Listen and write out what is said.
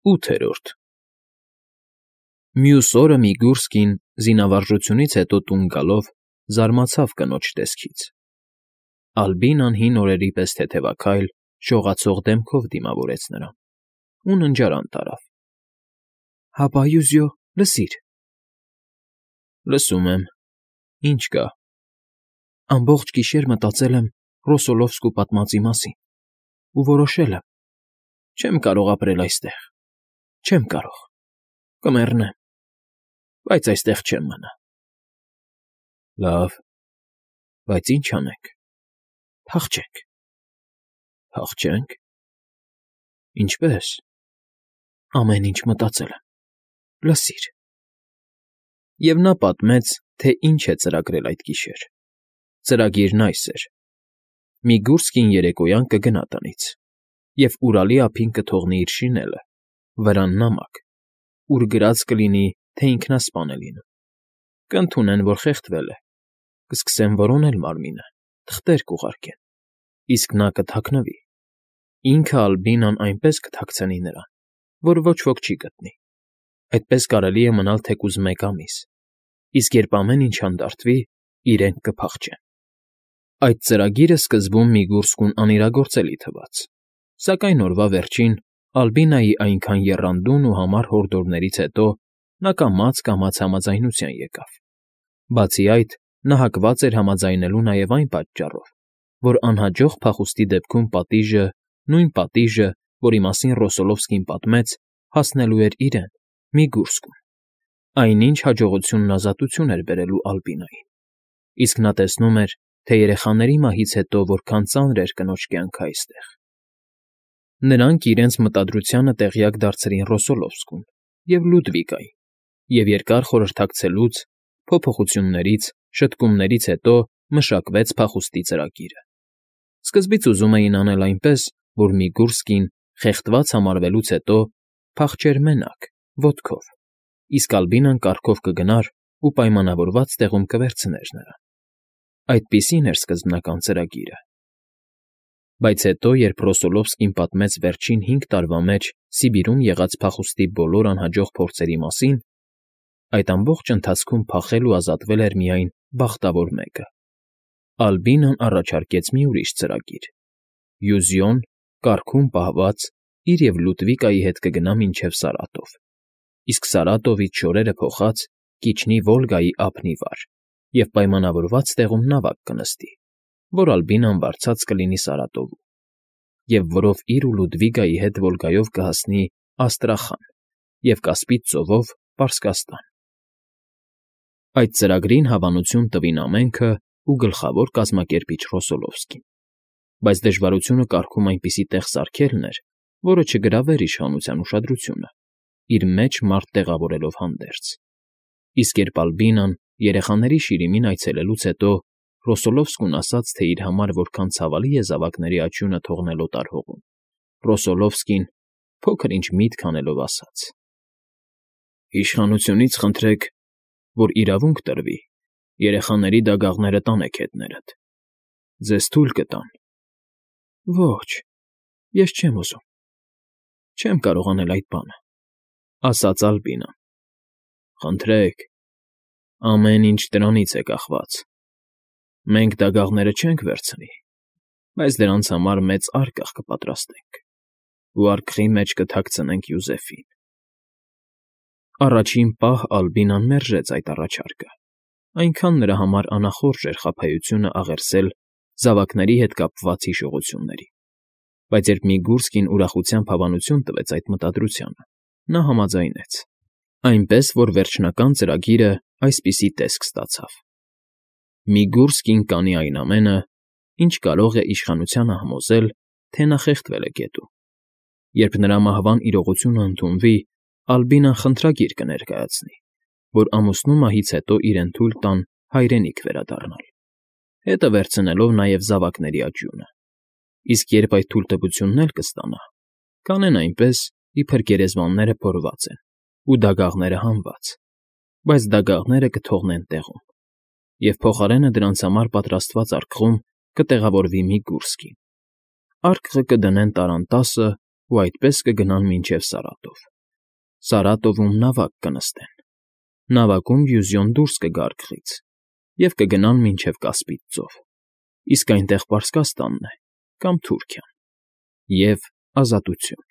8-րդ Մյուս օրը Միգուրսկին, զինավարժությունից հետո տուն գալով, զարմացավ կնոջ տեսքից. Ալբինան հին օրերի պես թեթևաքայլ, շողացող դեմքով դիմավորեց նրան ու ննջարան տարավ։ ֊ Հապա,Յուզյո, լսիր։ ֊ Լսում եմ, ինչ կա։ Ամբողջ գիշեր մտածել եմ Ռոսոլովսկու պատմածի մասին ու որոշել եմ. չեմ կարող ապրել այստեղ, չեմ կարող, կմեռնեմ, բայց այստեղ չեմ մնա։ ֊ Լավ, բայց ի՞նչ անենք։ ֊ Փախչենք։ ֊ Փախչե՞նք։ ֊ Ինչպե՞ս։ ֊ Ամեն ինչ մտածել եմ, լսիր։ Եվ նա պատմեց, թե ինչ է ծրագրել այդ գիշեր։ Ծրագիրն այս էր. Միգուրսկին երեկոյան կգնա տնից և Ուրալի ափին կթողնի իր շինելը, վրան նամակ, ուր գրած կլինի, թե ինքնասպան է լինում։ Կընդունեն, որ խեղդվել է, կսկսեն որոնել մարմինը, թղթեր կուղարկեն, իսկ նա կթաքնվի։ Ինքը Ալբինան այնպես կթաքցնի նրան, որ ոչ ոք չի գտնի։ Այդպես կարելի է մնալ թեկուզ 1 ամիս, իսկ երբ ամեն ինչ հանդարտվի, իրենք կփախչեն։ Այդ ծրագիրը սկզբում Միգուրսկուն անիրագործելի թվաց, սակայն օրվա վերջին Ալբինայի այնքան եռանդուն ու համառ հորդորներից հետո նա կամաց համաձայնության եկավ։ Բացի այդ, նա հակված էր համաձայնելու նաև այն պատճառով, որ անհաջող փախուստի դեպքում պատիժը, նույն պատիժը, որի մասին Ռոսոլովսկին պատմեց, հասնելու էր իրեն, Միգուրսկուն։ Այնինչ հաջողությունն ազատություն էր բերելու Ալբինային, իսկ նա տեսնում էր, թե երեխաների մահից հետո որքան ծանր էր կնոջ կյանքը այստեղ։ Նրանք իրենց մտադրությանը տեղյակ դարձրին Ռոսոլովսկուն և Լյուդվիկային, և երկար խորհրդակցելուց, փոփոխություններից, շտկումներից հետո մշակվեց փախուստի ծրագիրը։ Սկզբից ուզում էին անել այնպես, որ Միգուրսկին, խեղդված համարվելուց հետո, փախչեր մենակ, ոտքով, իսկ Ալբինան կառքով կգնար ու պայմանավորված տեղում կվերցներ նրան։ Այդպիսին էր սկզբնական ծրագիրը։ Բայց հետո, երբ Ռոսոլովսկին պատմեց վերջին 5 տարվա մեջ Սիբիրում եղած փախուստի բոլոր անհաջող փորձերի մասին, այդ ամբողջ ընթացքում փախել ու ազատվել էր միայն բախտավոր մեկը։ Ալբինան առաջարկեց մի ուրիշ ծրագիր. Յուզյոն, կառքում պահված, իր և Լյուդվիկայի հետ կգնա մինչև Սարատով, իսկ Սարատովից շորերը փոխած կիջնի Վոլգայի ափն ի վար և պայմանավորված տեղում նավակ կնստի, որ Ալբինան վարձած կլինի Սարատովում, և որով իր ու Լյուդվիկայի հետ Վոլգայով կհասնի Աստրախան և Կասպից ծովով Պարսկաստան։ Այդ ծրագրին հավանություն տվին ամենքը ու գլխավոր կազմակերպիչ Ռոսոլովսկին, բայց դժվարությունը կառքում այնպիսի տեղ սարքելն էր, որը չգրավեր իշխանության ուշադրությունը, իր մեջ մարդ տեղավորելով հանդերձ։ Իսկ երբ Ալբինան երեխաների շիրիմին այցելելուց հետո Ռոսոլովսկուն ասաց, թե իր համար որքան ցավալի է զավակների աճյունը թողնել օտար հողում, Ռոսոլովսկին փոքր-ինչ միտք անելով ասաց. Իշխանությունից խնդրեք, որ իրավունք տրվի երեխաների դագաղները տանեք հետներդ։ Ձեզ թույլ կտան։ Ոչ, ես չեմ ուզում, չեմ կարող անել այդ բանը, ասաց Ալբինան։ Խնդրեք, ամեն ինչ դրանից է կախված։ Մենք դագաղները չենք վերցնի, բայց դրանց համար մեծ առկաղ կպատրաստենք ու արկղի մեջ կթաքցնենք Յուզեֆին։ Առաջին պահ Ալբինան մերժեց այդ առաջարկը, այնքան նրա համար անախորժ էր խաբեությունը աղերսել զավակների հետ կապված հիշողությունների, բայց երբ Միգուրսկին ուրախությամբ հավանություն տվեց այդ մտադրությանը, նա համաձայնեց, այնպես որ վերջնական ծրագիրը այսպիսի տեսք ստացավ. Միգուրսկին կանի այն ամենը, ինչ կարող է իշխանությանը համոզել, թե նա խեղդվել է գետում։ Երբ նրա մահվան իրողությունը ընդունվի, Ալբինան խնդրագիր կներկայացնի, որ ամուսնու մահից հետո իրեն թույլ տան հայրենիք վերադառնալ, հետը վերցնելով նաև զավակների աճյունը, իսկ երբ այդ թույլտվությունն էլ կստանա, կանեն այնպես, իբր գերեզմանները փորված են ու դագաղները հանված, բայց դագաղները կթողնեն տեղում, և փոխարենը դրանց համար պատրաստված արկղում կտեղավորվի Միգուրսկին։ Արկղը կդնեն տարանտասը ու այդպես կգնան մինչև Սարատով։ Սարատովում նավակ կնստեն, նավակում Վյուզյոն դուրս կգա արկղից և կգնան մինչև Կասպից ծով, իսկ այնտեղ Պարսկաստանն է կամ Թուրքիան, և ազատություն։